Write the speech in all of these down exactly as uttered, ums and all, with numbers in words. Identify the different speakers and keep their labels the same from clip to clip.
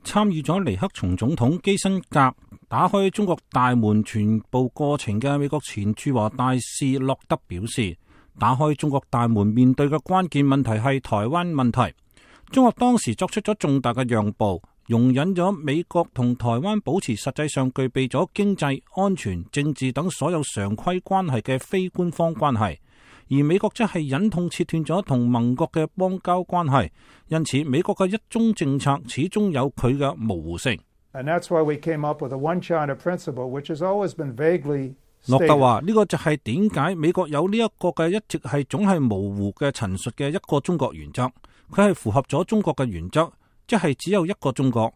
Speaker 1: 參與咗尼克松總統基辛格打開中國大門全部過程嘅美國前駐華大使洛德表示，打開中國大門面對嘅關鍵問題係台灣問題。中國當時作出咗重大嘅讓步，容忍咗美國同台灣保持實際上具備咗經濟、安全、政治等所有常規關係嘅非官方關係，而美國則係忍痛切斷咗同盟國嘅邦交關係。因此，美國嘅一中政策始終有佢嘅模糊性。
Speaker 2: And that's why we came up with a one China principle, which has always been vaguely stated.
Speaker 1: 洛特話：呢個就係點解美國有呢一個嘅一直係總係模糊嘅陳述嘅一個中國原則。佢係符合咗中國嘅原則，即係只有一個中國。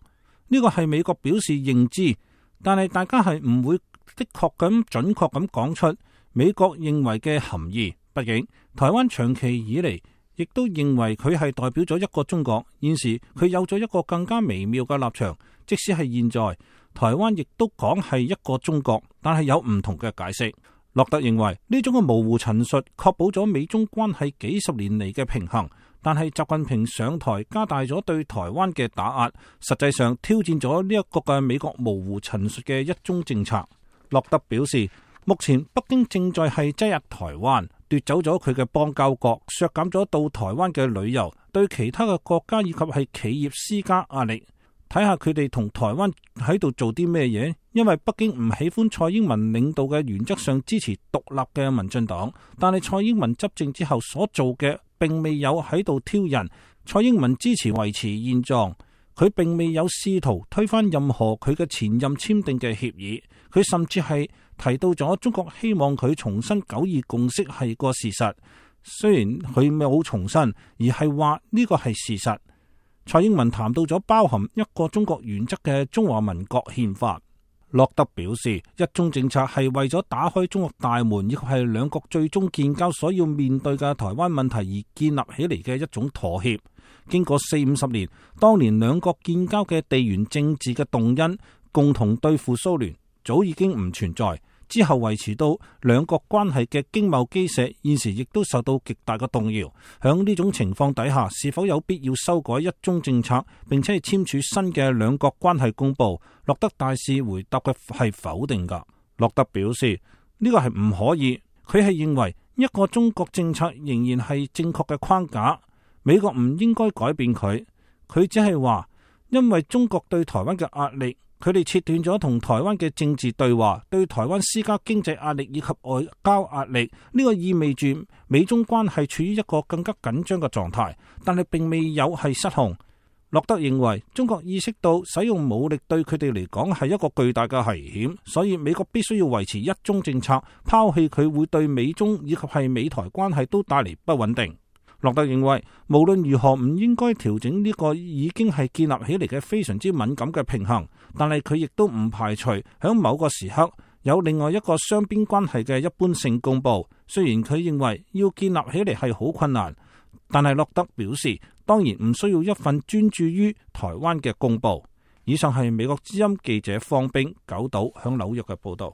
Speaker 1: 呢個係美國表示認知，但係大家係唔會的確咁準確咁講出美國認為嘅含義。畢竟台灣長期以嚟亦都認為佢係代表咗一個中國，現時佢有咗一個更加微妙嘅立場。即使係現在，台灣亦都講係一個中國，但係有唔同嘅解釋。洛特認為呢種嘅模糊陳述確保咗美中關係幾十年嚟嘅平衡，但係習近平上台加大咗對台灣嘅打壓，實際上挑戰咗呢一個嘅美國模糊陳述嘅一中政策。洛特表示，目前北京正在係擠壓台灣，奪走咗佢嘅邦交國，削減咗到台灣嘅旅遊，對其他嘅國家以及係企業施加壓力。睇下佢哋同台灣喺度做啲咩嘢，因為北京唔喜歡蔡英文領導嘅原則上支持獨立嘅民進黨，但係蔡英文執政之後所做嘅並未有喺度挑釁，蔡英文支持維持現狀，佢並未有試圖推翻任何佢嘅前任簽訂嘅協議，佢甚至係提到咗中國希望佢重申九二共識係個事實，雖然佢冇重申，而係話呢個係事實。蔡英文談到咗包含一個中國原則嘅中華民國憲法。洛德表示，一中政策係為咗打開中國大門，亦係兩國最終建交所要面對嘅台灣問題而建立起嚟嘅一種妥協。經過四五十年，當年兩國建交嘅地緣政治嘅動因，共同對付蘇聯，早已經唔存在。之後維持到兩國關係嘅經貿基石，現時亦都受到極大嘅動搖。響呢種情況底下，是否有必要修改一中政策，並且係簽署新嘅兩國關係公報？洛德大使回答嘅係否定㗎。洛德表示呢個係唔可以，佢係認為一個中國政策仍然係正確嘅框架，美國唔應該改變佢。佢只係話，因為中國對台灣嘅壓力，佢哋切斷咗同台灣嘅政治對話，對台灣施加經濟壓力以及外交壓力。呢個意味住美中關係處於一個更加緊張嘅狀態，但係並未有係失控。洛德認為中國意識到使用武力對佢哋嚟講係一個巨大嘅危險，所以美國必須要維持一中政策，拋棄佢會對美中以及係美台關係都帶嚟不穩定。洛特認為無論如何唔應該調整呢個已經係建立起嚟嘅非常之敏感嘅平衡，但係佢亦都唔排除喺某個時刻有另外一個雙邊關係嘅一般性公佈。雖然佢認為要建立起嚟係好困難，但係洛德表示當然唔需要一份專注於台灣嘅公佈。以上係美國之音記者方冰九島響紐約嘅報道。